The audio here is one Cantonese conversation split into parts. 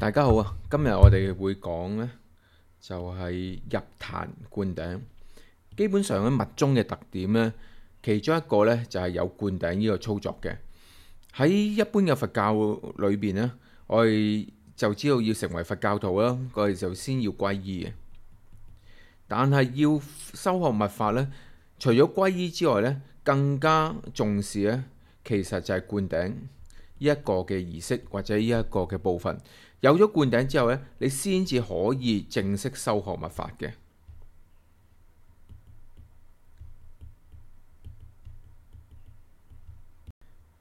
大家好啊！今日我哋會講呢，就係入壇灌頂。基本上咧，密宗嘅特點呢，其中一個呢，就係有灌頂呢個操作嘅。喺一般嘅佛教裏邊呢，我哋就知道要成為佛教徒啦，我哋就先要皈依嘅。但係要修學密法呢，除咗皈依之外呢，更加重視呢，其實就係灌頂呢一個嘅儀式或者呢一個嘅部分。有咗灌頂之後呢，你先至可以正式修學密法嘅。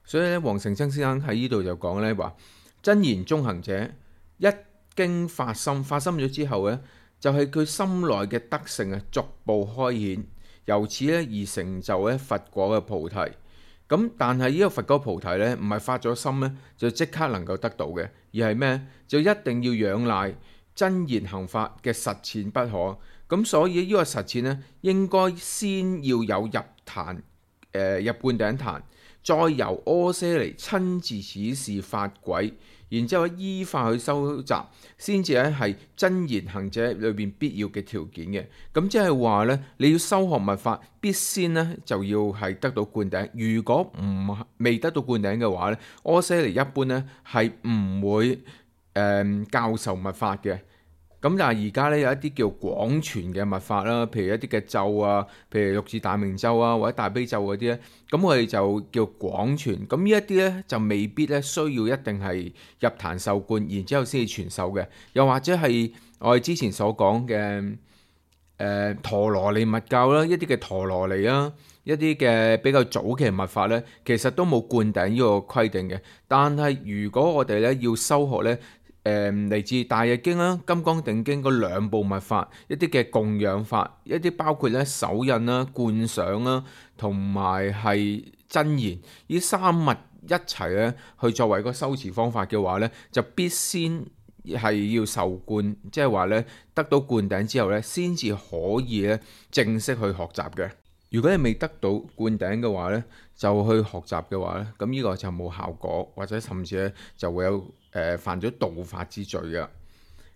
所以咧，黃成真先生喺呢度就講呢話，真言中行者一經發心咗之後呢，就係佢心內嘅德性啊，逐步開顯，由此咧而成就咧佛果嘅菩提。咁但係呢個佛果菩提呢，唔係發咗心呢，就即刻能夠得到嘅，而係咩？就一定要仰賴真言行法嘅實踐不可。咁所以呢個實踐呢，應該先要有入壇入灌頂壇，再由阿闍黎親自指示法軌，然之後依法去收集，先至咧係真言行者裏邊必要嘅條件嘅。咁即係話呢，你要修學密法，必先呢就要係得到灌頂。如果未得到灌頂嘅話呢，阿闍黎一般呢係唔會教授密法嘅。咁但係而家咧有一啲叫廣傳嘅密法啦，譬如一啲嘅咒啊，譬如六字大明咒啊，或者大悲咒嗰啲咧，咁我哋就叫廣傳。咁呢一啲咧就未必咧需要一定係入壇受灌，然之後先至傳授嘅。又或者係我哋之前所講嘅陀羅尼密教啦，一啲嘅陀羅尼啦，一啲嘅比較早期嘅密法咧，其實都冇灌頂呢個規定嘅。但係如果我哋咧要修學咧，嚟自大日經啦、金剛定經嗰兩部密法，一啲嘅供養法，一啲包括咧手印啦、觀想啦，同埋係真言，呢三密一齊咧去作為個修持方法嘅話咧，就必先係要受灌，即係話咧得到灌頂之後咧，先至可以咧正式去學習嘅。如果你未得到灌頂嘅話呢，就去學習嘅話呢，咁呢個就冇效果，或者甚至咧就會有犯咗盜法之罪嘅。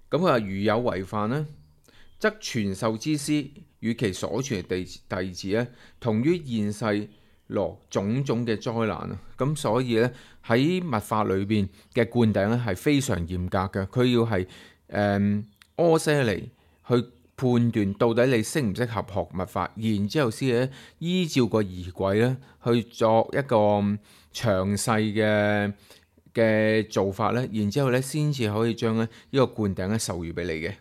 咁佢話如有違犯呢，則傳授之師與其所傳弟子呢，同於現世羅種種嘅災難啊。咁所以呢，喺密法裏邊嘅灌頂咧係非常嚴格嘅，佢要係阿闍黎去判斷到底你適唔適合學密法，然之後先咧依照個儀軌咧去作一個詳細嘅做法咧，然之後咧先至可以將咧呢個灌頂咧授予俾你嘅。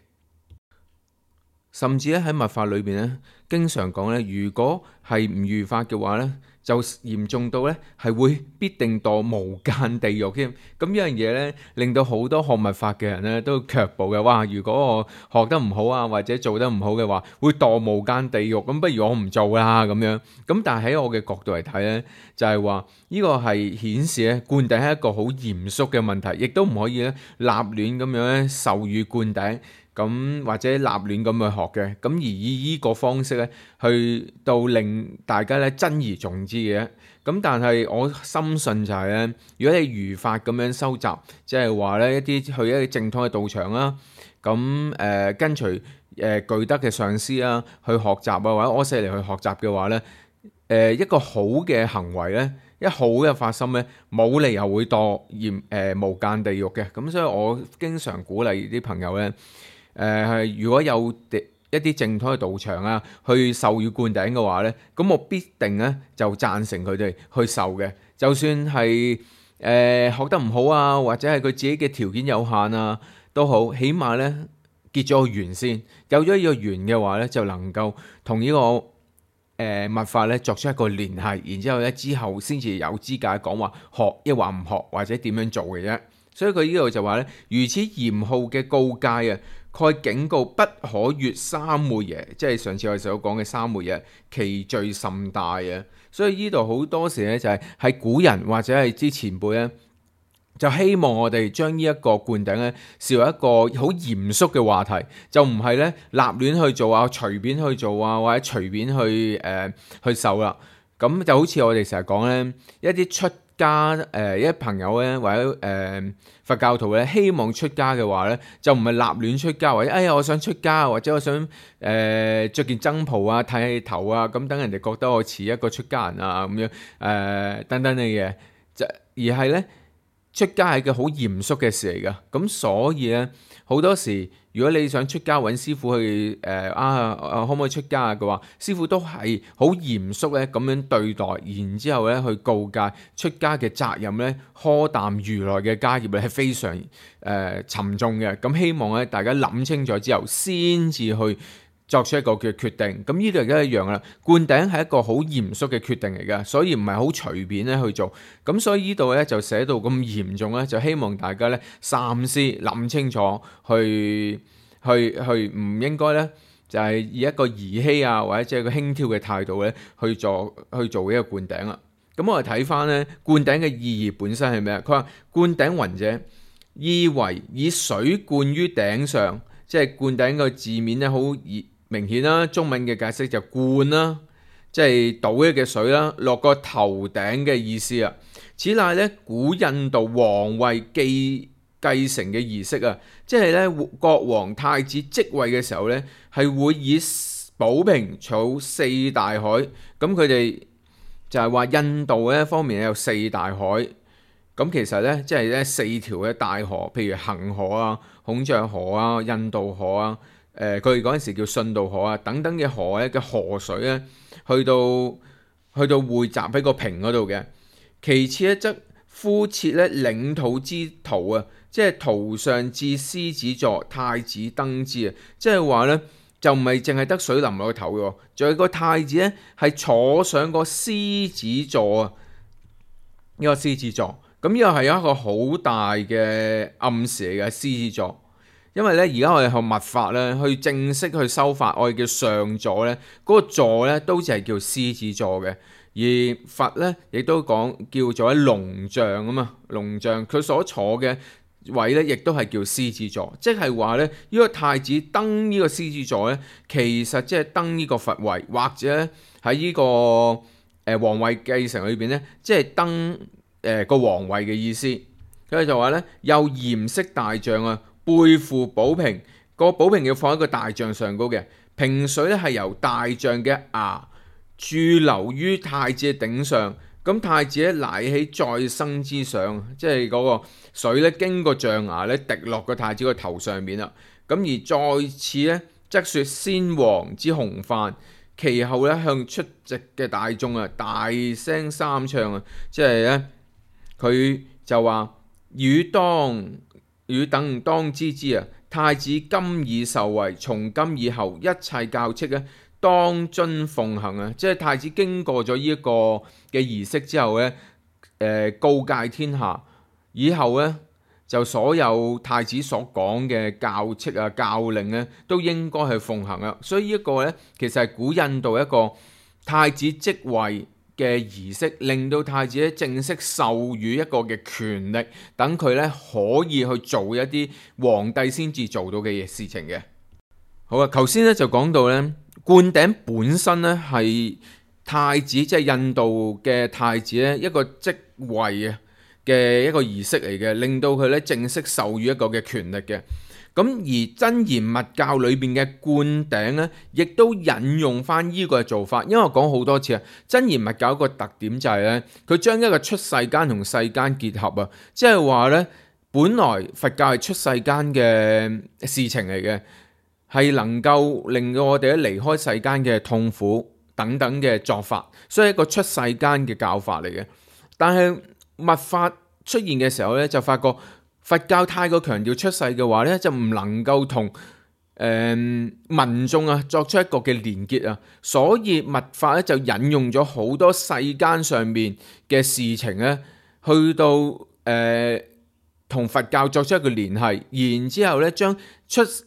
甚至咧喺密法裏邊咧，經常講咧，如果係唔如法嘅話咧，就嚴重到咧係會必定墮無間地獄添。咁呢樣嘢咧，令到好多學密法嘅人咧都卻步嘅。哇！如果我學得唔好啊，或者做得唔好嘅話，會墮無間地獄。咁不如我唔做啦咁樣。咁但係喺我嘅角度嚟睇咧，就係話呢個係顯示咧灌頂係一個好嚴肅嘅問題，亦都唔可以咧立亂咁樣咧授予灌頂。咁或者立亂咁去學嘅，咁而以呢個方式咧，去到令大家咧珍而重之嘅。咁但係我深信就係咧，如果你如法咁樣收集，即係話咧一啲去一啲正統嘅道場啦，咁跟隨具德嘅上師啦去學習啊，或者阿闍黎去學習嘅話咧，一個好嘅行為咧，一好嘅發心咧，冇理由會墮無間地獄嘅。咁所以我經常鼓勵啲朋友咧。如果有一啲正統嘅道場啊，去授予灌頂嘅話呢，咁我必定呢就贊成佢哋去受嘅。就算係學得唔好啊，或者係佢自己嘅條件有限啊，都好，起碼呢結咗個緣先。有咗呢個緣嘅話呢，就能夠同呢個密法呢作出一個聯繫，然之後呢之後先至有資格講話學抑或唔學，或者點樣做嘅啫。所以佢呢度就話呢，如此嚴酷嘅告誡啊！蓋警告不可越三昧耶，即係上次我哋所講嘅三昧耶，其罪甚大啊！所以呢度好多時咧就係古人或者係之前輩咧，就希望我哋將呢一個灌頂咧視為一個好嚴肅嘅話題，就唔係咧立亂去做啊，隨便去做啊，或者隨便去受啦。咁就好似我哋成日講咧，一啲出家一朋友咧或者佛教徒咧希望出家嘅話咧，就唔係立亂出家，或者哎呀我想出家，或者我想着件僧袍啊、剃頭啊，咁等人哋覺得我似一個出家人啊咁樣等等嘅嘢，而係咧出家係個好嚴肅嘅事嚟噶。咁所以咧好多時，如果你想出家揾師傅去可唔可以出家嘅話，師傅都係好嚴肅咧咁樣對待，然之後咧去告誡出家嘅責任咧，苛擔如來嘅家業咧係非常沉重嘅。咁希望咧大家諗清楚之後先至去作出一個嘅決定。咁呢度亦都一樣啦，灌頂係一個好嚴肅嘅決定嚟㗎，所以唔係好隨便咧去做。咁所以呢度咧就寫到咁嚴重咧，就希望大家咧三思諗清楚，去唔應該咧就係以一個兒戲啊或者即係個輕佻嘅態度咧去做呢個灌頂啦。咁我哋睇翻咧灌頂嘅意義本身係咩？佢話灌頂云者，意為以水灌於頂上，即係灌頂個字面咧好明顯啦，中文嘅解釋就灌啦，即係倒一嘅水啦，落個頭頂嘅意思啊。此乃咧古印度皇位繼承嘅儀式啊，即係咧國王太子即位嘅時候咧，係會以寶瓶儲四大海。咁佢哋就係話印度咧方面有四大海，咁其實咧即係咧四條嘅大河，譬如恒河啊、孔雀河啊、印度河啊。佢哋嗰陣時叫順道河啊，等等嘅河咧嘅河水咧，去到匯集喺個瓶嗰度嘅。其次咧，則敷設咧領土之圖啊，即係圖上至獅子座，太子登之啊，即係話咧就唔係淨係得水淋落個頭嘅，仲有個太子咧係坐上個獅子座啊，呢個獅子座，咁呢個係一個好大嘅暗示嚟嘅獅子座。因為咧，而家我哋學密法咧，去正式去修法，我哋叫上座咧，嗰個座咧都只係叫獅子座嘅。而佛咧亦都講叫做喺龍象啊嘛，龍象佢所坐嘅位咧，亦都係叫獅子座，即係話咧呢個太子登呢個獅子座咧，其實即係登呢個佛位，或者喺呢個皇位繼承裏邊咧，即係登個皇位嘅意思。佢就話咧，又嚴飾大象啊。背負寶瓶，個寶瓶要放喺個大象上高嘅，瓶水咧係由大象嘅牙注流於太子嘅頂上，咁太子咧乃起再生之上，即係嗰個水咧經過象牙咧滴落個太子個頭上面啦。咁而再次咧則說先王之洪範，其後咧向出席嘅大眾啊大聲三唱啊，即係咧佢就話與等當知之啊！太子今已受位，從今以後一切教칙咧，當遵奉行啊！即係太子經過咗呢一個嘅儀式之後咧，告誡天下，以後咧就所有太子所講嘅教칙啊、教令咧，都應該去奉行啊！所以呢一個咧，其實係古印度一個太子即位嘅儀式，令到太子咧正式授予一個嘅權力，等佢咧可以去做一啲皇帝先至做到嘅事情嘅。好啊，頭先咧就講到咧，灌頂本身咧係太子，即係印度嘅太子咧一個即位啊嘅一個儀式嚟嘅，令到佢咧正式授予一個嘅權力嘅。咁而真言密教裏邊嘅灌頂咧，亦都引用翻呢個做法。因為我講好多次啊，真言密教一個特點就係咧，佢將一個出世間同世間結合啊，即係話咧，本來佛教係出世間嘅事情嚟嘅，係能夠令到我哋咧離開世間嘅痛苦等等嘅作法，所以一個出世間嘅教法嚟嘅。但係密法出現嘅時候咧，就發覺佛教太過強調出世嘅話咧，就唔能夠同民眾啊作出一個嘅連結啊，所以密法咧就引用咗好多世間上面嘅事情咧，去到同佛教作出一個聯繫，然之後咧將世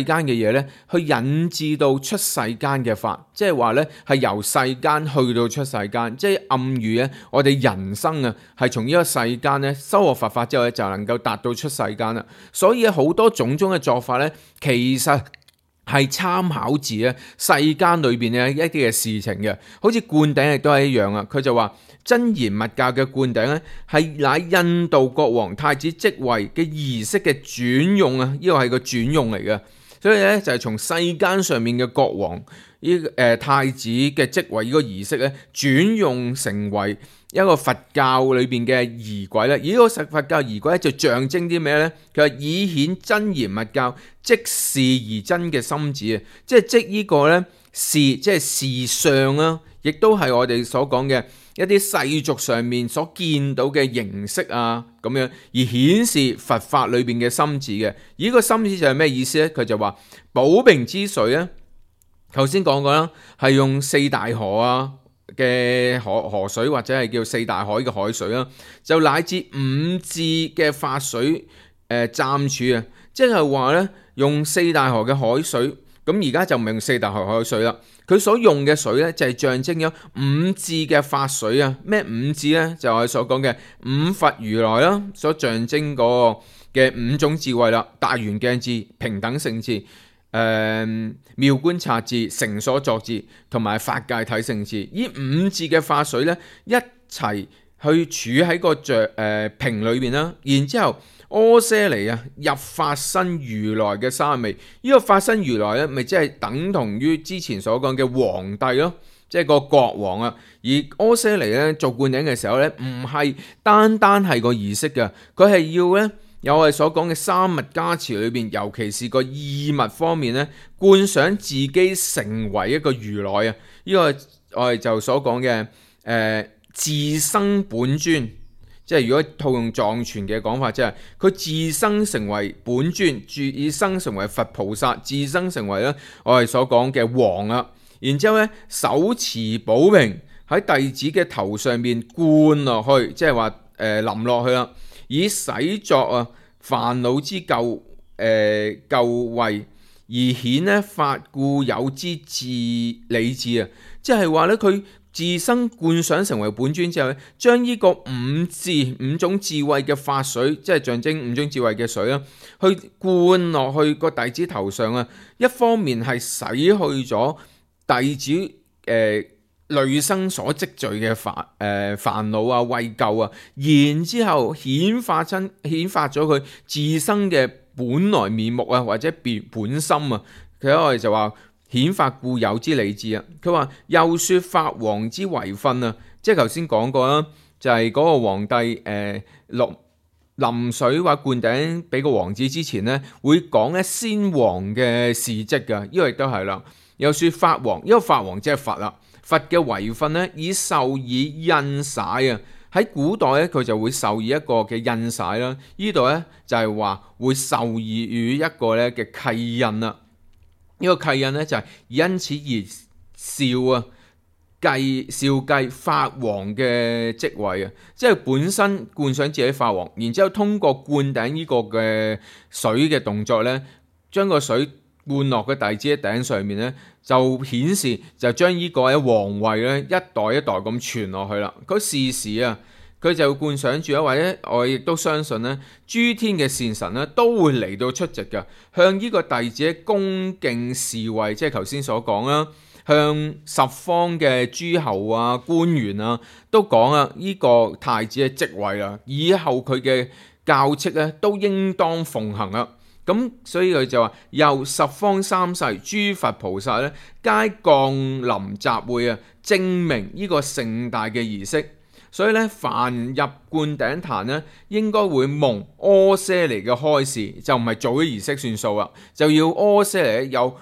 間嘅嘢咧去引致到出世間嘅法，即係話咧係由世間去到出世間，即係暗喻咧我哋人生啊係從呢個世間咧修學佛法之後咧就能夠達到出世間啦。所以好多種種嘅做法咧，其實係參考自咧世間裏邊嘅一啲嘅事情嘅，好似灌頂亦都係一樣啊。佢就話真言密教嘅灌頂咧，係乃印度國王太子即位嘅儀式嘅轉用啊，呢個係個轉用嚟嘅。所以咧就係從世間上面嘅國王太子嘅即位呢個儀式咧，轉用成為一個佛教裏邊嘅儀軌咧。而呢個佛教儀軌咧就象徵啲咩咧？佢話以顯真言密教即事而真嘅心旨啊，即呢個咧事即係事相啦，亦都係我哋所講嘅一啲世俗上面所見到嘅形式啊，咁樣而顯示佛法裏邊嘅心旨嘅。而呢個心旨就係咩意思咧？佢就話寶瓶之水咧，頭先講過啦，係用四大河啊嘅河水或者係叫四大海嘅海水啦，就乃至五智嘅法水暫處啊，即係話咧用四大河嘅海水。咁而家就唔係用四大河海水啦，佢所用嘅水咧就係象徵咗五智嘅法水啊。咩五智咧？就係所講嘅五佛如來啦，所象徵嗰個嘅五種智慧啦，大圓鏡智、平等性智、妙觀察智、成所作智同埋法界體性智。呢五智嘅法水咧一齊去儲喺個瓶裏邊啦，然之後阿闍黎啊入法身如來嘅三昧，呢個法身如來咧，咪即係等同於之前所講嘅皇帝咯，即係個國王啊。而阿闍黎咧做灌頂嘅時候咧，唔係單係個儀式嘅，佢係要咧有我哋所講嘅三密加持裏邊，尤其是個意密方面咧，觀想自己成為一個如來啊。呢個我哋就所講嘅自生本尊。即係如果套用藏傳嘅講法，即係佢自生成為本尊，自生成為佛菩薩，自生成為咧我哋所講嘅王啊。然之後咧手持寶瓶喺弟子嘅頭上面灌落去，即係話淋落去啦，以洗作啊煩惱之垢穢，而顯咧發固有之智理智啊。即係話咧佢自身灌想成為本尊之後咧，將呢個五種智慧嘅法水，即係象徵五種智慧嘅水啦，去灌落去個弟子頭上啊。一方面係洗去咗弟子累生所積聚嘅煩惱啊、穢垢啊，然之後顯發咗佢自身嘅本來面目啊，或者本心啊。佢我哋就話顯發固有之理智啊！佢話又說法王之遺訓啊，即係頭先講過啦，就係、是、嗰個皇帝淋水或灌頂俾個王子之前呢，會講咧先王嘅事蹟噶，呢個亦都係啦。又說法王，因為法王即係佛啦，佛嘅遺訓呢，以授以印璽啊。喺古代咧，佢就會授以一個嘅印璽啦。呢度咧就係話會授以於一個咧嘅契印啦。呢個契印咧就係因此而紹繼法王嘅職位啊，即係本身灌上自己法王，然之後通過灌頂呢個嘅水嘅動作咧，將個水灌落個弟子嘅頂上面咧，就顯示就將呢個喺皇位咧一代一代咁傳落去啦。佢時時啊，佢就灌上住啊，或者我亦都相信咧，諸天嘅善神咧都會嚟到出席嘅，向呢個弟子恭敬侍衛，即係頭先所講啦，向十方嘅諸侯啊、官員啊都講啊，呢個太子嘅職位啊，以後佢嘅教斥咧都應當奉行啊。咁所以佢就話，由十方三世諸佛菩薩咧，皆降臨集會啊，證明呢個盛大嘅儀式。所以咧，凡入灌頂壇咧，應該會蒙阿闍黎嘅開示，就唔係做啲儀式算數啦，就要阿闍黎有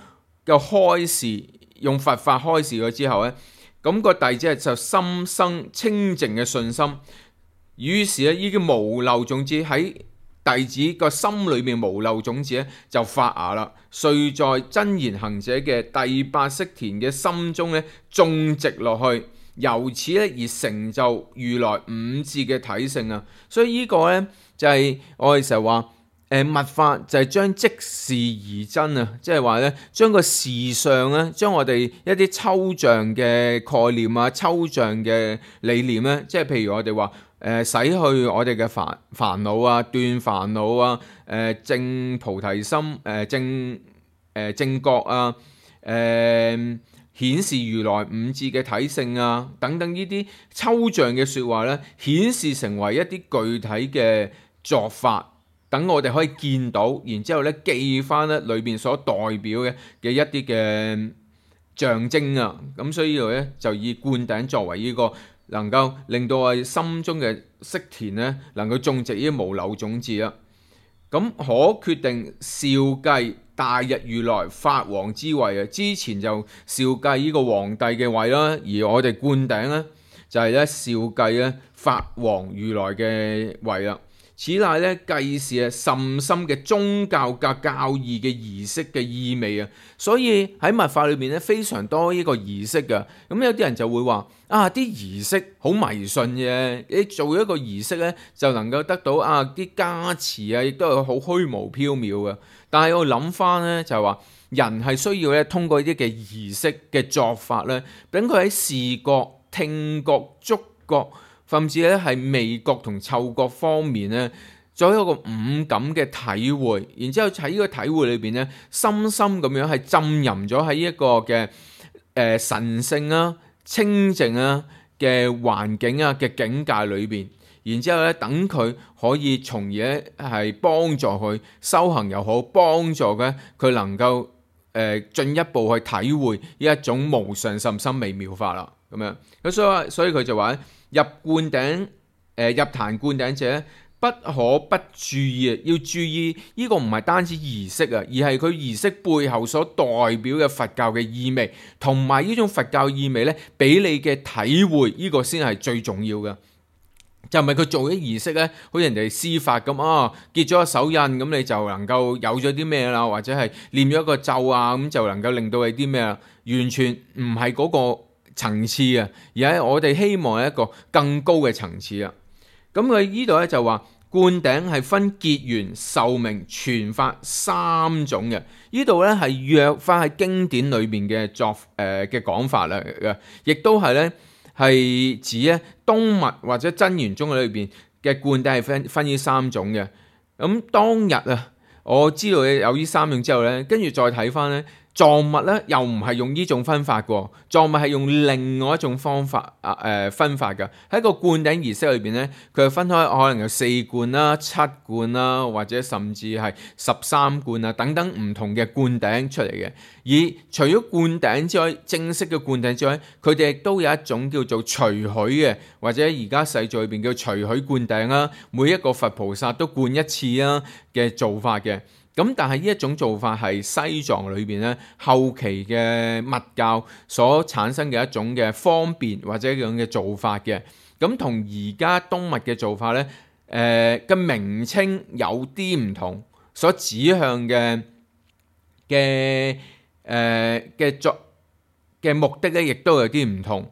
開示，用佛法開示咗之後咧，咁個弟子就心生清淨嘅信心，於是咧呢啲無漏種子喺弟子個心裏面無漏種子咧就發芽啦，遂在真言行者嘅第八識田嘅心中咧種植落去。由此咧而成就如來五智嘅體性啊！所以呢個咧就係我哋成日話密法就係將即事而真啊！即係話咧將個事相咧，將我哋一啲抽象嘅概念啊、抽象嘅理念咧，即係譬如我哋話洗去我哋嘅煩惱啊、斷煩惱啊、證菩提心、正覺啊、顯示如來五智嘅體性啊，等等呢啲抽象嘅説話咧，顯示成為一啲具體嘅作法，等我哋可以見到，然之後咧記翻咧裏邊所代表嘅一啲嘅象徵啊。咁所以呢度咧就以灌頂作為呢個能夠令到我哋心中嘅識田咧能夠種植呢啲無漏種子啦。咁可決定紹繼大日如來法王之位啊！之前就紹繼呢個皇帝嘅位啦，而我哋灌頂咧就係咧紹繼咧法王如來嘅位啦。此乃咧繼是甚深嘅宗教教義嘅儀式嘅意味啊！所以喺密法裏面咧非常多呢個儀式嘅。咁有啲人就會話啊，啲儀式好迷信嘅，你做一個儀式咧就能夠得到啊啲加持啊，亦都係好虛無縹緲嘅。但係我諗翻咧就係話，人係需要咧通過呢啲嘅儀式嘅作法咧，等佢喺視覺、聽覺、觸覺，甚至咧係味覺同嗅覺方面咧，做一個五感嘅體會，然之後喺呢個體會裏邊咧，深深咁樣係浸淫咗喺一個嘅神聖啊、清淨啊嘅環境啊嘅境界裏邊，然之後咧等佢可以從而咧係幫助佢修行又好，幫助佢能夠進一步去體會呢一種無上甚深微妙法啦。咁樣咁所以佢就話入灌頂入壇灌頂者不可不注意啊！要注意呢個唔係單止儀式啊，而係佢儀式背後所代表嘅佛教嘅意味，同埋呢種佛教意味咧，俾你嘅體會，呢個先係最重要嘅。就唔係佢做啲儀式咧，好似人哋施法咁啊，結咗個手印咁，你就能夠有咗啲咩啦，或者係念咗一個咒啊，咁就能夠令到你啲咩啦，完全唔係嗰個層次啊，而係我哋希望係一個更高嘅層次啊。咁佢呢度咧就話灌頂係分結緣、受名、傳法三種嘅。呢度咧係約翻喺經典裏邊嘅嘅講法啦嘅，亦都係咧係指咧東密或者真言宗裏邊嘅灌頂係分呢三種嘅。咁當日啊，我知道有呢三種之後咧，跟住再睇翻咧。藏密咧又唔係用呢種分法嘅，藏密係用另外一種方法分法嘅。喺個灌頂儀式裏邊咧，佢係分開可能有4灌啦、7灌啦，或者甚至係13灌啊等等唔同嘅灌頂出嚟嘅。而除咗灌頂之外，正式嘅灌頂之外，佢哋亦都有一種叫做隨許嘅，或者而家世俗裏邊叫隨許灌頂啦。每一個佛菩薩都灌一次啊嘅做法嘅。咁但係呢一種做法係西藏裏邊咧後期嘅密教所產生嘅一種嘅方便或者一種嘅做法嘅。咁同而家東密嘅做法咧，嘅名稱有啲唔同，所指向嘅目的咧，亦都有啲唔同。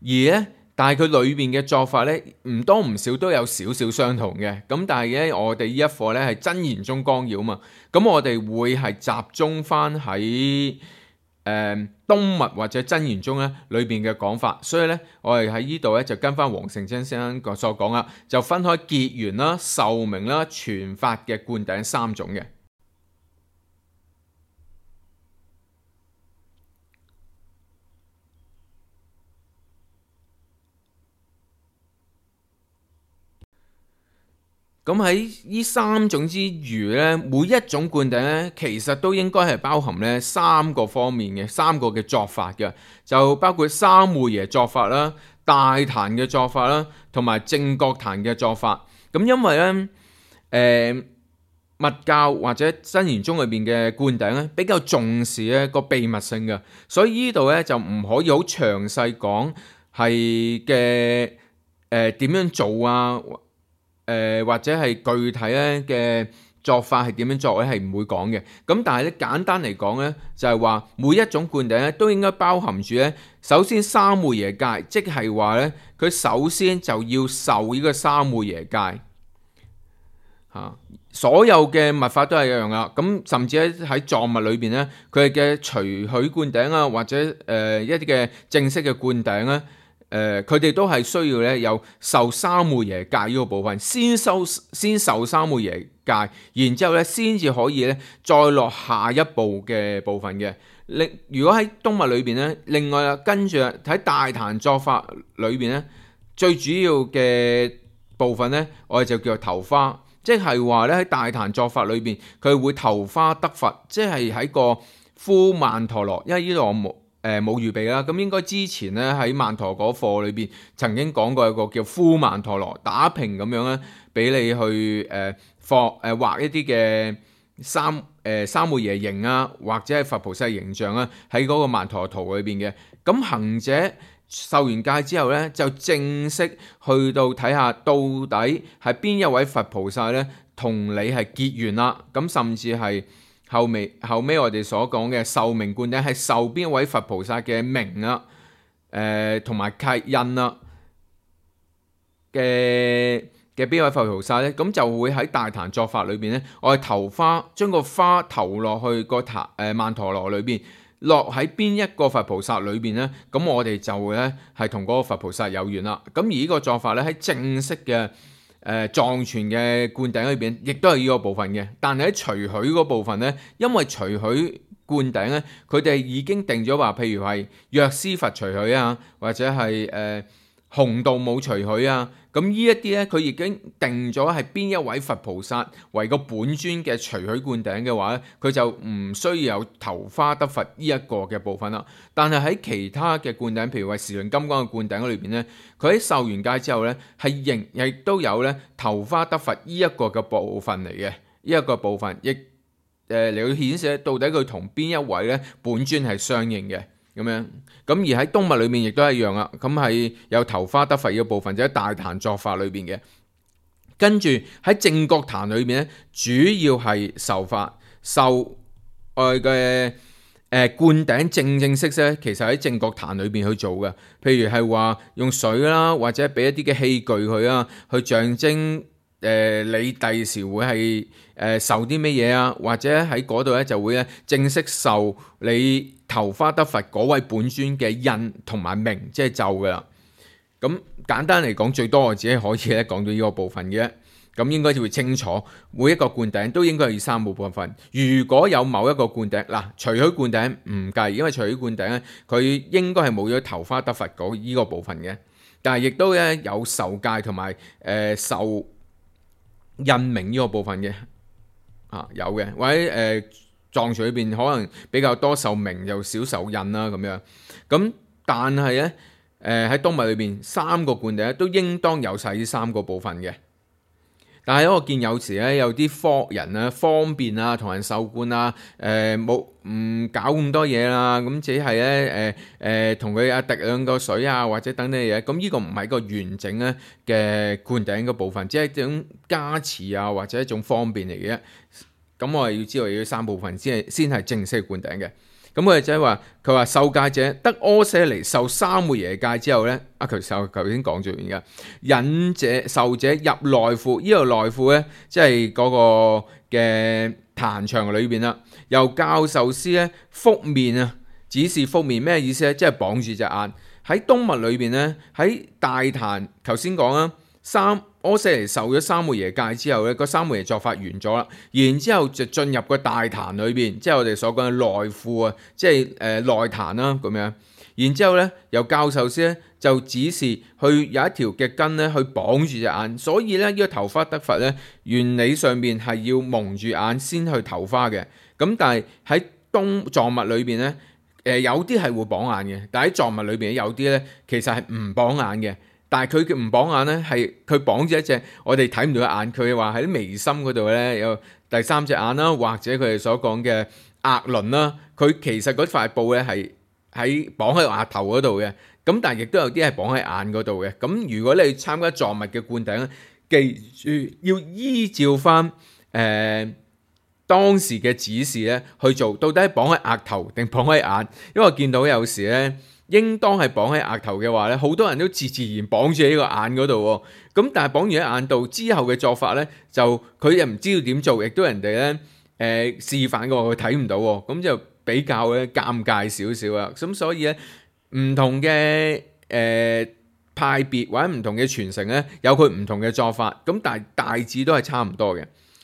而咧，但係佢裏邊嘅作法咧，唔多唔少都有少少相同嘅。咁但係咧，我哋呢一課咧係真言宗綱要嘛，咁我哋會係集中翻喺東密或者真言宗咧裏邊嘅講法。所以咧，我哋喺呢度咧就跟翻黃成真先生所講啦，就分開結緣啦、受名啦、傳法嘅灌頂三種嘅。咁喺呢三種之餘咧，每一種灌頂咧，其實都應該係包含咧三個方面嘅三個嘅作法嘅，就包括三昧耶作法啦、大壇嘅作法啦，同埋正覺壇嘅作法。咁因為咧，密教或者真言宗裏邊嘅灌頂咧，比較重視咧個秘密性嘅，所以呢度咧就唔可以好詳細講係嘅點樣做啊。或者係具體咧嘅作法係點樣作咧，係唔會講嘅。咁但係咧簡單嚟講咧，就係話每一種灌頂咧都應該包含住咧，首先三昧耶戒，即係話咧佢首先就要受呢個三昧耶戒嚇。所有嘅密法都係一樣啦。咁甚至喺藏密裏邊咧，佢嘅隨許灌頂啊，或者一啲嘅正式嘅灌頂咧。佢哋都係需要咧有受三昧耶戒呢個部分，先受三昧耶戒界，然之後咧先至可以咧再落下一步嘅部分嘅。如果喺冬物裏邊咧，另外跟住喺大壇作法裏邊咧，最主要嘅部分咧，我哋就叫做頭花，即係話咧喺大壇作法裏邊，佢會頭花得佛，即係喺個呼曼陀羅，因為呢度我冇預備啦。咁應該之前咧喺曼陀嗰課裏邊曾經講過一個叫呼曼陀羅打平咁樣咧，俾你去畫一啲嘅三昧耶形啊，或者係佛菩薩形象啊，喺嗰個曼陀圖裏邊嘅。咁行者受完戒之後咧，就正式去到睇下到底係邊一位佛菩薩咧同你係結緣啦。咁甚至係後尾我哋所講嘅受名灌頂係受邊一位佛菩薩嘅名啊，同埋契印啊嘅邊位佛菩薩咧，咁就會喺大壇作法裏邊咧，我哋投花，將個花投落去個曼陀羅裏邊，落喺邊一個佛菩薩裏邊咧，咁我哋就會咧係同嗰個佛菩薩有緣啦。咁而呢個作法咧喺正式嘅藏傳嘅灌頂裏邊，亦都係呢個部分嘅。但係喺隨許嗰部分咧，因為隨許灌頂咧，佢哋已經定咗話，譬如係藥師佛隨許啊，或者係紅度母隨許啊。咁呢一啲咧，佢已經定咗係邊一位佛菩薩為個本尊嘅隨許灌頂嘅話咧，佢就唔需要有頭花得佛呢一個嘅部分啦。但係喺其他嘅灌頂，譬如話時輪金剛嘅灌頂裏邊咧，佢喺受完戒之後咧，係亦都有咧頭花得佛呢一個嘅部分嚟嘅，呢一個部分亦嚟到顯示到底佢同邊一位咧本尊係相應嘅。咁樣，咁而喺冬物裏面亦都係一樣啦。咁係有頭花得佛嘅部分，就喺大壇作法裏邊嘅。跟住喺正覺壇裏面咧，主要係受法受嘅灌頂正式咧，其實喺正覺壇裏邊去做嘅。譬如係話用水啦，或者俾一啲嘅器具佢啊，去象徵你第時會係受啲咩嘢啊，或者喺嗰度咧就會咧正式受你頭花得佛嗰位本尊嘅印同埋名，即係咒噶啦。咁簡單嚟講，最多我只係可以咧講到呢個部分嘅。咁應該就會清楚，每一個灌頂都應該係三個部分。如果有某一個灌頂嗱，隨許灌頂唔計，因為隨許灌頂咧，佢應該係冇咗頭花得佛嗰依個部分嘅。但係亦都咧有受戒同埋受印名呢個部分嘅有嘅，或者藏傳裏邊可能比較多受名又少受印啦咁樣。咁但係咧喺冬物裏邊三個灌頂都應當有晒呢三個部分嘅。但係我見有時咧有啲科人啊方便啊同人受灌啊冇唔搞咁多嘢啦，咁只係咧同佢滴兩個水啊或者等等嘢，咁呢個唔係一個完整咧嘅灌頂嘅部分，只係一種加持啊或者一種方便嚟嘅。咁我哋要知道要三部分先係正式嘅灌頂嘅。咁我哋就係話佢話受戒者得阿闍黎受三昧耶戒之後咧，頭先講咗完嘅引者受者入內庫，呢個內庫咧即係嗰個嘅壇場裏邊啦。由教授師咧覆面啊，指示覆面咩意思咧？即係綁住隻眼。喺冬物裏邊咧，喺大壇頭先講啦，阿闍黎受咗三昧耶戒之後咧，個三昧耶作法完咗啦，然之後就進入個大壇裏邊，即係我哋所講嘅內庫啊，即係內壇啦咁樣。然之後咧，由教授師咧就指示去有一條嘅筋咧去綁住隻眼，所以咧呢個頭花得佛咧原理上面係要蒙住眼先去頭花嘅。咁但係喺藏物裏邊咧，有啲係會綁眼嘅，但係喺藏物裏邊有啲咧其實係唔綁眼嘅。但係佢嘅唔綁眼咧，係佢綁住一隻我哋睇唔到嘅眼。佢話喺啲眉心嗰度咧有第三隻眼啦，或者佢哋所講嘅額輪啦。佢其實嗰塊布咧係綁喺額頭嗰度嘅。咁但係亦都有啲係綁喺眼嗰度嘅。咁如果你參加藏物嘅灌頂咧，記住要依照翻當時嘅指示咧去做，到底係綁喺額頭定綁喺眼？因為我見到有時咧，應當係綁喺額頭嘅話咧，好多人都自然綁住喺呢個眼嗰度喎。咁但係綁完喺眼度之後嘅作法咧，就佢又唔知道點做，亦都人哋咧示範過佢睇唔到喎。咁就比較咧尷尬少少啦。咁所以咧唔同嘅派別或者唔同嘅傳承咧，有佢唔同嘅作法。咁但係大致都係差唔多嘅。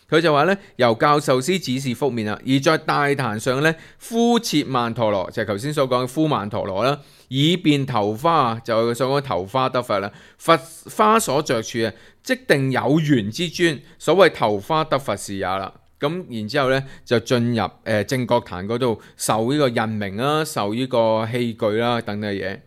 佢就話咧，由教授師指示覆面啦，而在大壇上咧敷設曼陀羅，就係頭先所講嘅敷曼陀羅啦，以便頭花，就所講頭花得佛啦。佛花所着處啊，即定有緣之尊，所謂頭花得佛是也啦。咁然之後咧就進入正覺壇嗰度受呢個印名啦，受呢個器具啦等等嘅嘢。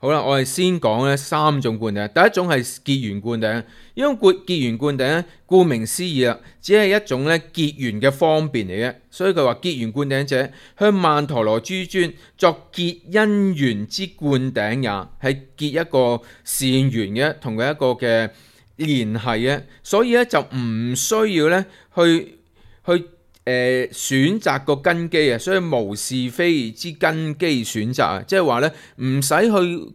好啦，我哋先講咧3種灌頂。第一種係結緣灌頂，因為結緣灌頂咧，顧名思義啦，只係一種咧結緣嘅方便嚟嘅，所以佢話結緣灌頂者向曼陀羅諸尊作結因緣之灌頂也，係結一個善緣嘅，同佢一個嘅聯繫嘅，所以咧就唔需要咧去選擇個根基啊，所以無是非之根基選擇啊，即係話咧唔使去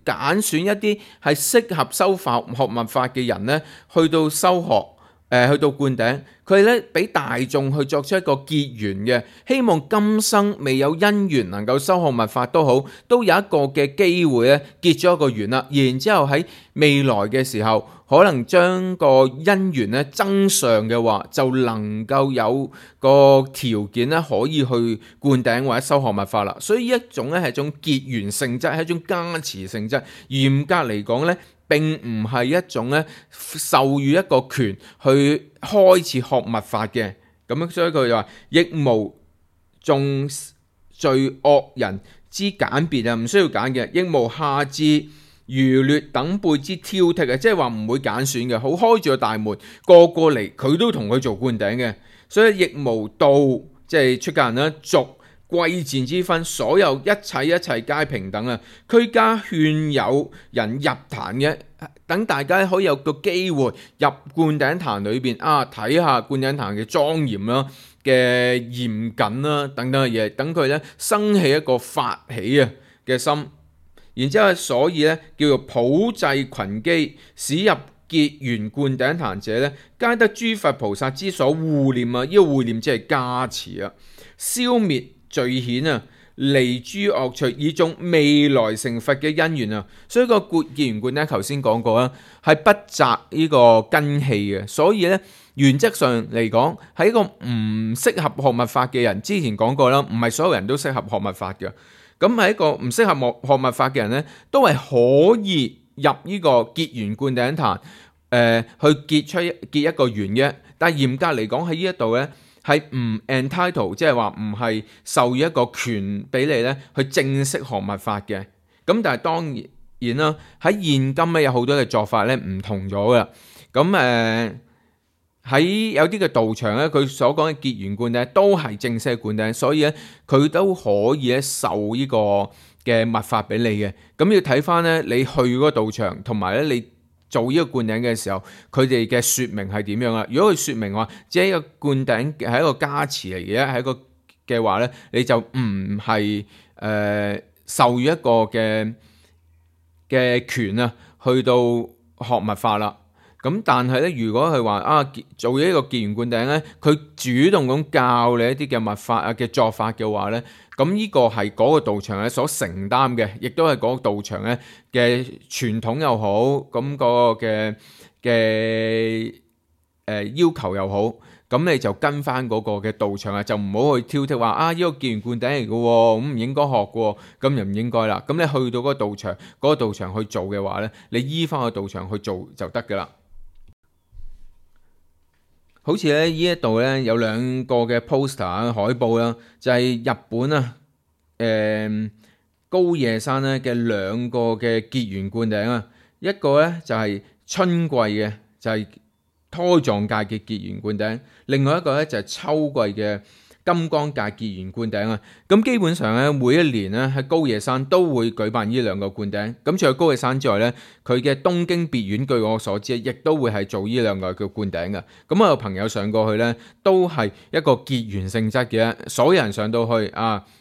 揀選一啲係適合修學密法嘅人咧，去到修學去到灌頂，佢咧俾大眾去作出一個結緣嘅，希望今生未有因緣能夠修學密法都好，都有一個嘅機會咧結咗一個緣啦，然之後喺未來嘅時候，可能將個因緣咧增上嘅話，就能夠有個條件咧可以去灌頂或者修學密法啦。所以一種咧係一種結緣性質，係一種加持性質。嚴格嚟講咧，並唔係一種咧授予一個權去開始學密法嘅。咁樣所以佢就話，亦無眾罪惡人之揀別啊，唔需要揀嘅，亦無下至愚劣等輩之挑剔嘅，即係話唔會揀選嘅，好開住個大門，個個嚟佢都同佢做灌頂嘅，所以亦無道，即係出家人啦，俗貴賤之分，所有一切皆平等啊！俱加勸誘人入壇嘅，等大家可以有個機會入灌頂壇裏邊啊，睇下灌頂壇嘅莊嚴啦、嘅嚴謹啦等等嘅嘢，等佢咧生起一個發起啊嘅心。然之後，所以咧叫做普濟群機，使入結緣灌頂壇者咧，皆得諸佛菩薩之所護念啊！呢個護念即係加持啊，消滅罪險啊，離諸惡趣，以種未來成佛嘅因緣啊！所以個結緣灌頂頭先講過啦，係不擇呢個根器嘅，所以咧原則上嚟講，係一個唔適合學密法嘅人。之前講過啦，唔係所有人都適合學密法嘅。咁係一個唔適合學密法嘅人咧，都係可以入呢個結緣灌頂壇，去結一個緣嘅。但係嚴格嚟講喺呢一度咧，係唔 entitle， 即係話唔係授予一個權俾你咧去正式學密法嘅。咁但係當然啦，喺現今咧有好多嘅做法咧唔同咗噶啦。咁喺有啲嘅道場咧，佢所講嘅結緣灌頂都係正式嘅灌頂，所以咧佢都可以咧授呢個嘅密法俾你嘅。咁要睇翻咧你去嗰個道場，同埋咧你做呢個灌頂嘅時候，佢哋嘅説明係點樣啊？如果佢説明話只係一個灌頂係一個加持嚟嘅，係一個嘅話咧，你就唔係授予一個嘅權啊，去到學密法啦。咁但係咧，如果係話做咗一個結緣灌頂咧，佢主動咁教你一啲嘅密法啊嘅作法嘅話咧，咁呢個係嗰個道場咧所承擔嘅，亦都係嗰個道場咧嘅傳統又好，咁嗰個嘅要求又好，咁你就跟翻嗰個嘅道場啊，就唔好去挑剔話呢個結緣灌頂嚟嘅喎，咁唔應該學嘅喎，咁就唔應該啦。咁你去到嗰個道場，嗰個道場去做嘅話咧，你依翻個道場去做就得㗎啦。好似咧呢一度咧有兩個嘅 poster 海報啦，就係日本高野山咧嘅兩個嘅結緣灌頂啊，一個咧就係春季嘅，就係胎藏界嘅結緣灌頂，另外一個咧就係秋季嘅金剛界結緣灌頂啊。咁基本上咧每一年咧喺高野山都會舉辦呢兩個灌頂。咁除咗高野山之外咧，佢嘅東京別院據我所知亦都會係做呢兩個叫灌頂嘅。咁我有朋友上過去咧，都係一個結緣性質嘅，所有人上到去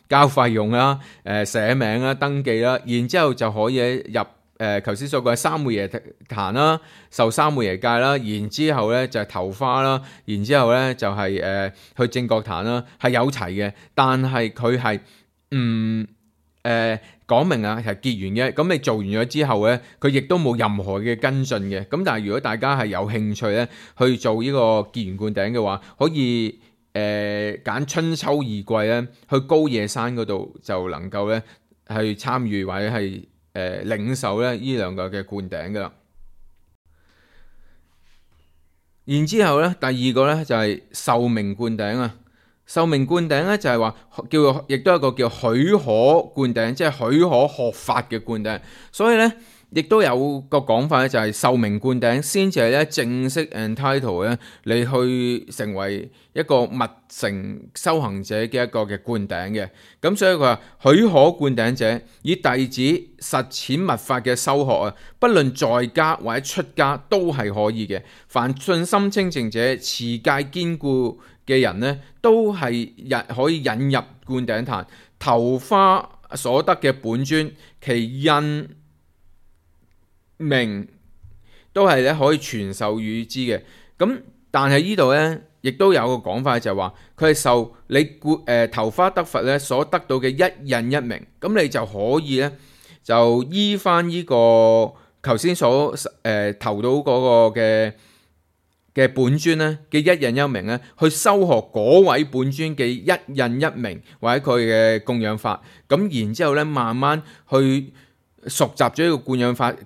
交費用啦、寫名啦、登記啦，然之後就可以入頭先所講嘅三昧耶壇啦，受三昧耶戒啦，然之後咧就係頭花啦，然之後咧就係去正覺壇啦，係有齊嘅，但係佢係講明啊係結緣嘅，咁你做完咗之後咧，佢亦都冇任何嘅跟進嘅。咁但係如果大家係有興趣咧去做呢個結緣灌頂嘅話，可以揀春秋二季咧去高野山嗰度就能夠咧去參與或者係領受咧呢兩個嘅灌頂噶啦。然之後咧，第二個咧就係壽命灌頂啊。壽命灌頂咧就係話叫，亦都有一個叫許可灌頂，即係許可學法嘅灌頂。所以咧，亦都有個講法咧，就係壽命灌頂先至係咧正式 entitle 咧，你去成為一個密乘修行者嘅一個嘅灌頂嘅。咁所以佢話許可灌頂者，以弟子實踐密法嘅修學啊，不論在家或者出家都係可以嘅。凡信心清淨者、持戒堅固嘅人呢，都係可以引入灌頂壇。頭花所得嘅本尊，其印名都係咧可以傳授與之嘅。咁但係呢度呢，亦都有個講法就係話，佢係受你頭花得佛咧所得到嘅一印一名，咁你就可以呢，就依翻呢個頭先所投到嗰個嘅本尊咧嘅一印一名咧，去修學嗰位本尊嘅一印一名或者佢嘅供養法，咁然之後咧慢慢去熟習咗呢個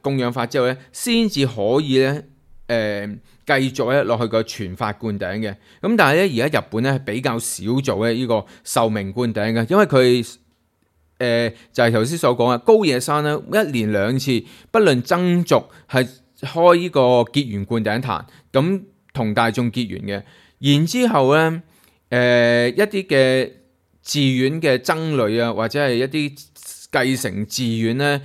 供養法之後咧，先至可以咧繼續咧落去個傳法灌頂嘅。咁但係咧而家日本咧係比較少做咧呢個壽命灌頂嘅，因為佢就係頭先所講啊，高野山咧一年兩次，不論僧俗係開呢個結緣灌頂壇，咁同大眾結緣嘅。然之後咧一啲嘅寺院嘅僧侶啊，或者係一啲繼承寺院咧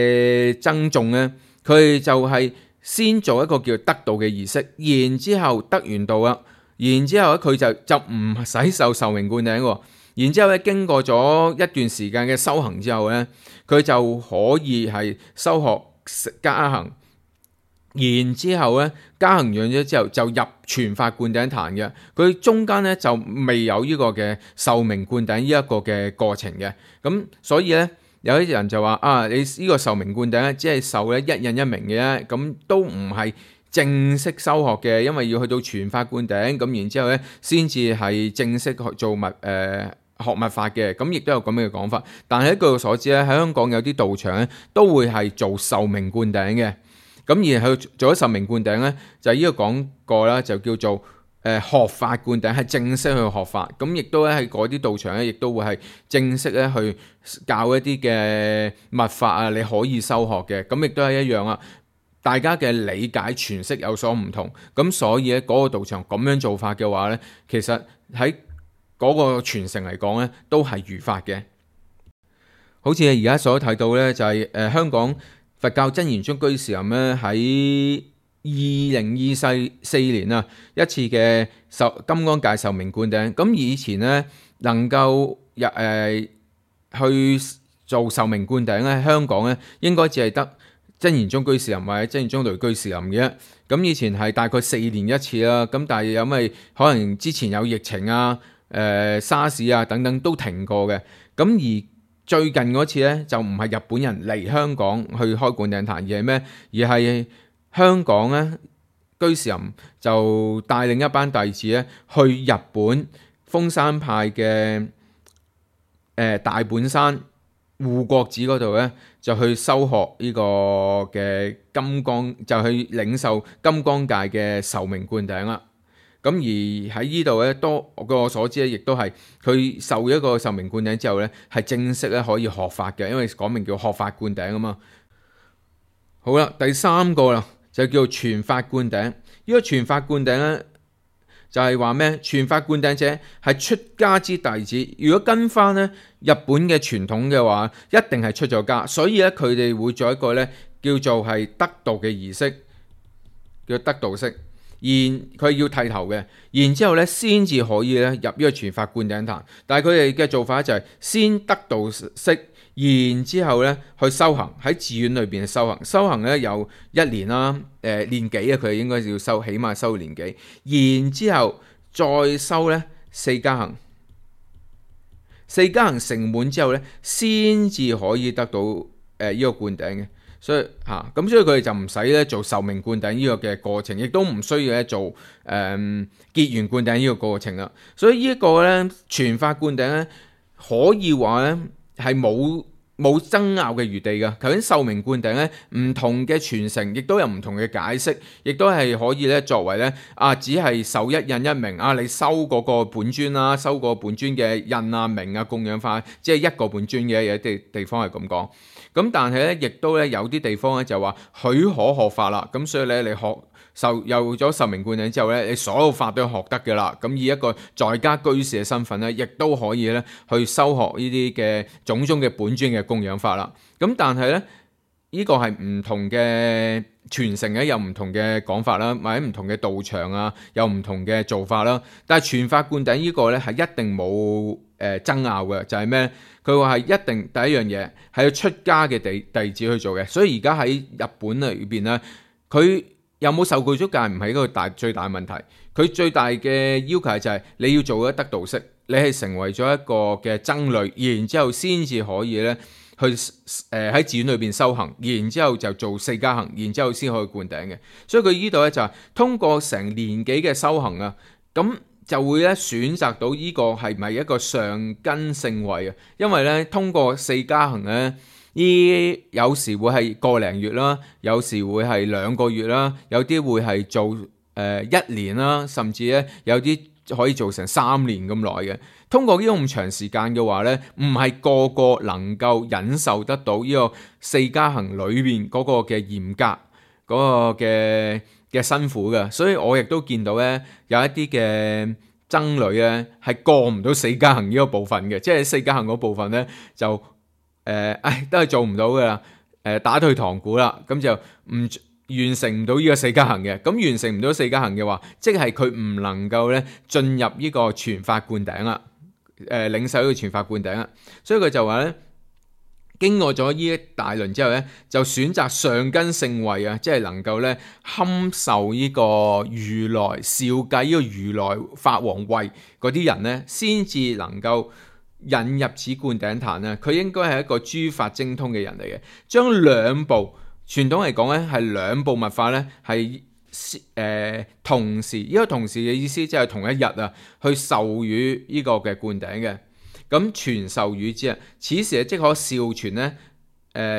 嘅僧眾咧，佢就係先做一個叫得道嘅儀式，然之後得完道啦，然之後咧佢就唔使受壽命灌頂喎。然之後咧，經過咗一段時間嘅修行之後咧，佢就可以係修學加行。然之後咧，加行完咗之後就入傳法灌頂壇嘅。佢中間咧就未有呢個嘅壽命灌頂呢一個嘅過程嘅。咁所以咧，有啲人就話啊，你呢個壽命灌頂咧，只係受咧一印一名嘅啫，咁都唔係正式修學嘅，因為要去到傳法灌頂，咁然之後咧先至係正式去做學密法嘅。咁亦都有咁樣嘅講法。但係據我所知咧，喺香港有啲道場咧都會係做壽命灌頂嘅。咁而去做咗壽命灌頂咧，就呢個講過啦，就叫做學法灌頂，係正式去學法。咁亦都咧喺嗰啲道場咧，亦都會係正式咧去教一啲嘅密法啊，你可以修學嘅。咁亦都係一樣啊，大家嘅理解詮釋有所唔同。咁所以咧嗰個道場咁樣做法嘅話咧，其實喺嗰個傳承嚟講咧，都係如法嘅。好似而家所睇到咧，就係香港佛教真言宗居士林咧喺2024年啊一次嘅金剛界壽命灌頂。咁以前咧能夠去做壽命灌頂咧，香港咧應該只係得真言宗居士林或者真言宗雷居士林嘅。咁以前係大概4年一次啦。咁但係因為可能之前有疫情啊、沙士啊等等都停過嘅。咁而最近嗰次咧就唔係日本人嚟香港去開灌頂壇，而係咩？而係香港咧居士林就帶領一班弟子咧去日本豐山派嘅大本山護國寺嗰度咧，就去修學呢個嘅金剛，就去領受金剛界嘅壽命灌頂啦。咁而喺呢度咧，據我所知咧，亦都係佢受一個壽命灌頂之後咧，係正式咧可以學法嘅，因為講明叫學法灌頂啊嘛。好啦，第三個啦，就叫做傳法灌頂。呢個傳法灌頂咧，就係話咩？傳法灌頂者係出家之弟子。如果跟翻咧日本嘅傳統嘅話，一定係出咗家，所以咧佢哋會做一個咧叫做係得道嘅儀式，叫得道式。佢要剃頭嘅，然之後咧先至可以咧入呢個傳法灌頂壇。但係佢哋嘅做法就係先得道式，然之後咧去修行，喺寺院裏邊修行。修行咧有1年啦，年幾啊？佢哋應該要修，起碼修年幾。然之後再修咧4加行。四加行成滿之後咧，先至可以得到呢個灌頂嘅。所以咁所以佢哋就唔使咧做壽命灌頂呢個嘅過程，亦都唔需要咧做結緣灌頂呢個過程啦。所以呢一個咧傳法灌頂咧，可以話咧係冇爭拗嘅餘地㗎。頭先壽命灌頂咧，唔同嘅傳承亦都有唔同嘅解釋，亦都係可以咧作為咧只係受一印一名你收嗰個本尊啦，收個本尊嘅印啊名啊供養法，即係一個本尊嘅，有啲地方係咁講。咁但係咧，亦都咧有啲地方咧就話許可學法啦，咁所以咧你有咗壽命灌頂之後咧，你所有法都學得嘅啦。咁以一個在家居士嘅身份咧，亦都可以咧去修學呢啲嘅種種嘅本尊嘅供養法啦。咁但係咧，呢個係唔同嘅傳承嘅，有唔同嘅講法啦，或者唔同嘅道場有唔同嘅做法啦。但係傳法灌頂呢個咧係一定冇爭拗嘅，就係咩？佢話係一定第一樣嘢係要出家嘅弟子去做嘅。所以而家喺日本裏邊咧，佢有冇受具足戒唔係一個最大問題。佢最大嘅要求就係你要做一得道式，你係成為咗一個嘅僧侶，然之後先至可以咧去喺寺院裏邊修行，然之後就做四加行，然之後先可以灌頂嘅。所以佢呢度咧就係通過成年幾嘅修行咁就會咧選擇到呢個係咪一個上根聖位啊？因為咧通過四加行咧，有時會係個零月啦，有時會係2個月啦，有啲會係做1年啦，甚至咧有啲可以做成3年咁耐嘅。通過呢個咁長時間嘅話咧，唔係個個能夠忍受得到呢個四加行裏邊嗰個嘅嚴格嗰個嘅辛苦嘅，所以我亦都見到咧有一啲嘅僧侶咧係過唔到四加行呢個部分嘅，即係四加行嗰部分咧就都係做唔到噶啦，打退堂鼓啦，咁就唔完成唔到呢個四加行嘅。咁完成唔到四加行嘅話，即係佢唔能夠咧進入呢個傳法灌頂啦，領受呢個傳法灌頂啦。所以佢就話咧，經過咗呢一大輪之後咧，就選擇上根聖位即係能夠咧堪受呢個如來少計呢個如來法王位嗰啲人咧，先至能夠引入此灌頂壇。佢應該係一個諸法精通嘅人嚟嘅，將兩部傳統嚟講咧係兩部密法咧係同時，呢個同時嘅意思即係同一日去授予呢個嘅灌頂嘅。咁傳授予之此時即可少傳咧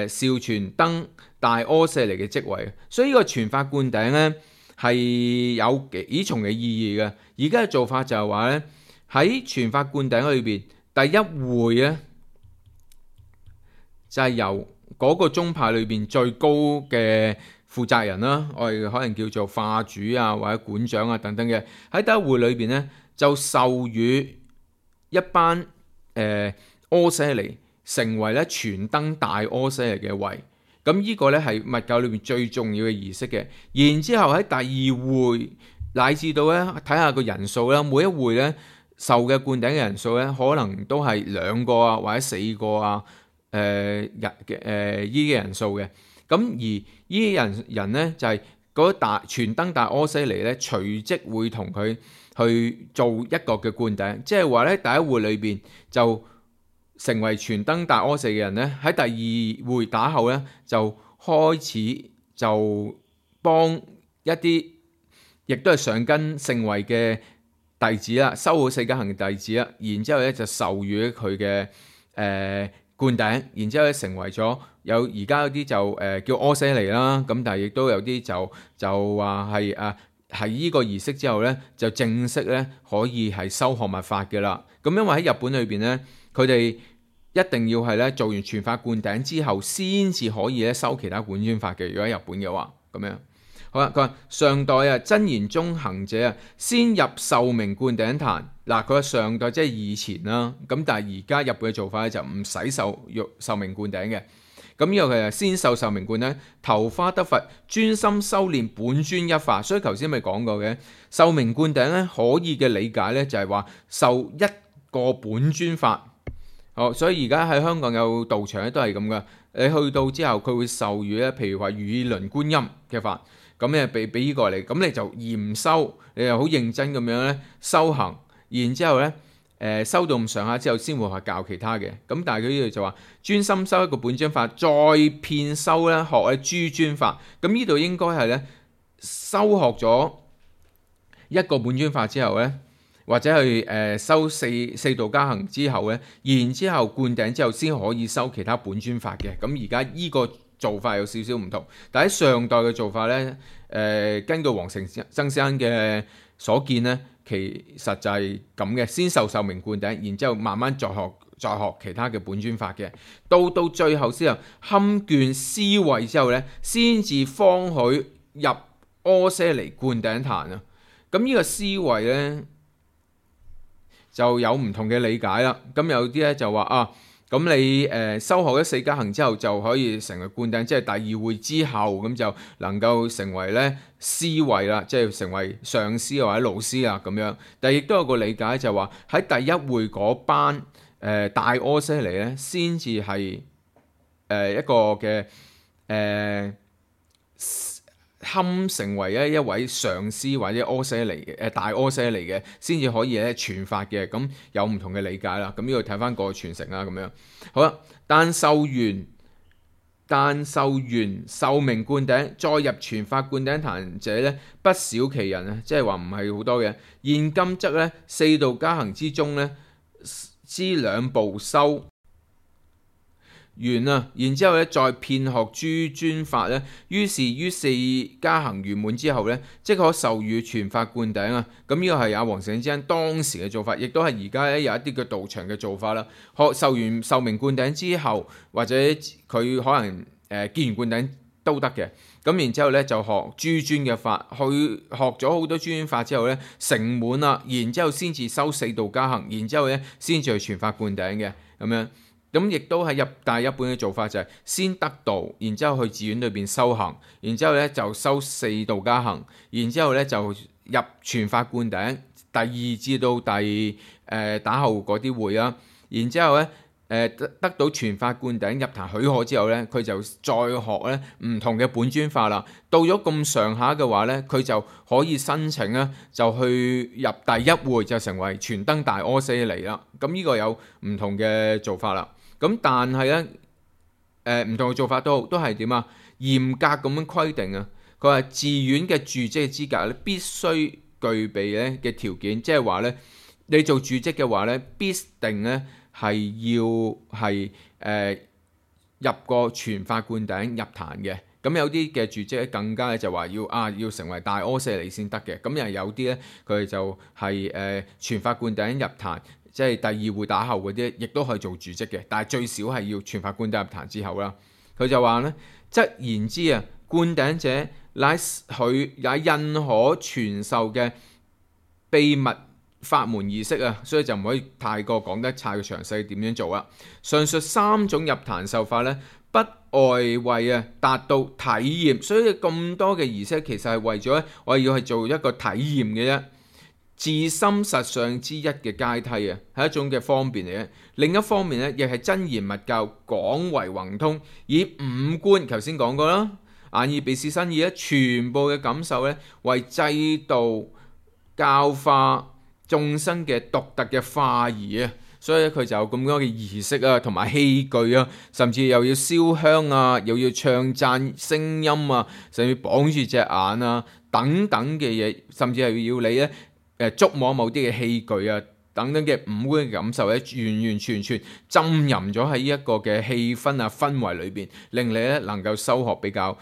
少傳登大阿闍黎嘅職位。所以呢個傳法灌頂咧係有幾重嘅意義嘅。而家嘅做法就係話咧，喺傳法灌頂裏邊第一會咧就係由嗰個宗派裏邊最高嘅負責人啦，我哋可能叫做化主或者館長等等嘅，喺第一會裏邊咧就授予一班阿闍黎成為咧傳登大阿闍黎嘅位。咁呢個咧係密教裏邊最重要嘅儀式嘅。然之後喺第二會乃至到咧睇下個人數啦，每一會咧受嘅灌頂嘅人數咧可能都係2個或者4個呢啲人數嘅。咁而呢啲人咧就係嗰傳登大阿闍黎咧隨即會同佢去做一個嘅灌頂，即係話咧第一會裏邊就成為傳登大阿闍黎嘅人咧，喺第二會打後咧就開始就幫一啲亦都係上根聖位嘅弟子啦，修好四加行嘅弟子啦，然之後咧就授予佢嘅灌頂，然之後咧成為咗而家有啲就叫阿闍黎啦，咁但係亦都有啲就話係呢個儀式之後咧就正式咧可以係修學密法嘅啦。咁因為喺日本裏邊咧，佢哋一定要係咧做完傳法灌頂之後，先至可以咧修其他本尊法嘅。如果喺日本嘅話，咁樣好啦。佢話上代真言宗行者先入壽命灌頂壇。嗱，佢話上代即係以前啦，咁但係而家日本嘅做法咧就唔使壽命灌頂嘅。咁呢個佢係先受壽命灌頂，投花得佛，專心修練本尊一法。所以頭先咪講過嘅壽命灌頂咧，可以嘅理解咧就係話受一個本尊法。好，所以而家喺香港有道場咧都係咁噶。你去到之後，佢會授予咧，譬如話如意輪觀音嘅法，咁咧俾呢個嚟，咁你就嚴修，你又好認真咁樣咧修行，然之後咧收到咁上下之後先會去教其他嘅。咁但係佢呢度就話專心修一個本尊法，再遍修咧學咧諸尊法。咁呢度應該係咧修學咗一個本尊法之後咧，或者去修四道加行之後咧，然之後灌頂之後先可以修其他本尊法嘅。咁而家呢個做法有少少唔同，但喺上代嘅做法咧，根據黃成曾先生嘅所見咧，其實就係咁嘅，先受名灌頂，然之後慢慢再學其他嘅本尊法嘅，到最後之後堪卷思慧之後咧，先至方許入阿闍黎灌頂壇啊。咁呢個思慧咧就有唔同嘅理解啦。咁有啲咧就話啊，咁你修學咗四加行之後就可以成為灌頂，即係第二會之後咁就能夠成為咧師位啦，即係成為上師或者老師啊咁樣。但係亦都有個理解就話喺第一會嗰班大阿闍黎咧，先至係一個嘅堪成為一位上師或者阿闍黎嘅大阿闍黎嘅，先至可以咧傳法嘅。咁有唔同嘅理解啦。咁呢度睇翻個傳承啦咁樣。好啦，但受完受名灌頂，再入傳法灌頂壇者咧，不少其人啊，即係話唔係好多嘅。現今則咧四道加行之中咧，之兩部修完啊，然之後咧再遍學諸尊法咧，於是於四加行圓滿之後咧，即可授予傳法灌頂啊。咁呢個係阿黃成之恩當時嘅做法，亦都係而家咧有一啲嘅道場嘅做法啦。受完受名灌頂之後，或者佢可能見完灌頂都得嘅。咁然之後咧就學諸尊嘅法，去學咗好多諸尊法之後咧成滿啦，然之後先至修四道加行，然之後咧先至去傳法灌頂嘅咁樣。咁亦都係大一本嘅做法就係先得道，然之後去寺院裏邊修行，然之後咧就修四道加行，然之後咧就入傳法灌頂，第二至到打後嗰啲會啦，然之後咧得到傳法灌頂入壇許可之後咧，佢就再學咧唔同嘅本尊法啦。到咗咁上下嘅話咧，佢就可以申請咧，就去入第一會就成為傳燈大阿闍黎啦。咁呢個有唔同嘅做法啦。咁但係咧，唔同嘅做法都係點啊？嚴格咁樣規定啊！佢話寺院嘅住職嘅資格咧，必須具備咧嘅條件，即係話咧，你做住職嘅話咧，必定咧係要係入過傳法灌頂入壇嘅。咁有啲嘅住職咧更加咧就話要成為大阿闍黎先得嘅。咁又有啲咧佢哋就係傳法灌頂入壇。即係第二會打後嗰啲，亦都可以做住職嘅，但係最少係要傳法灌頂入壇之後啦。佢就話咧，則言之啊，灌頂者乃佢也印可傳授嘅秘密法門儀式啊，所以就唔可以太過講得太詳細點樣做啦。上述三種入壇受法咧，不外為達到體驗，所以咁多嘅儀式其實係為咗我要去做一個體驗嘅啫。自心實相之一嘅階梯啊，係一種嘅方便嚟嘅。另一方面咧，亦係真言密教廣為宏通，以五官頭先講過啦，眼耳鼻舌身意咧，全部嘅感受咧，為制度教化眾生嘅獨特嘅化儀啊。所以佢就有咁多嘅儀式啊，同埋器具啊，甚至又要燒香啊，又要唱讚聲音啊，甚至綁住隻眼啊，等等嘅嘢，甚至係要你咧。觸摸某啲嘅器具啊，等等嘅五官嘅感受咧，完完全全浸淫咗喺呢一個嘅氣氛啊氛圍裏邊，令你咧能夠修學比較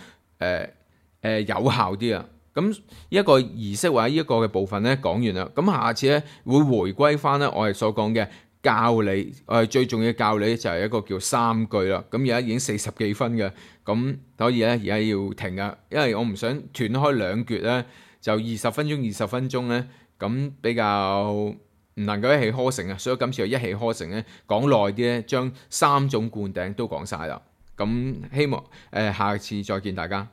有效啲啊。咁一個儀式或者呢一個嘅部分咧講完啦，咁下次咧會回歸翻咧我哋所講嘅教理，我哋最重要嘅教理就係一個叫三句啦。咁而家已經40幾分嘅，咁所以咧而家要停啊，因為我唔想斷開兩橛咧，就20分鐘咧。咁比較唔能夠一氣呵成啊，所以今次就一氣呵成咧，講耐啲咧，將三種灌頂都講晒啦。咁希望下次再見大家。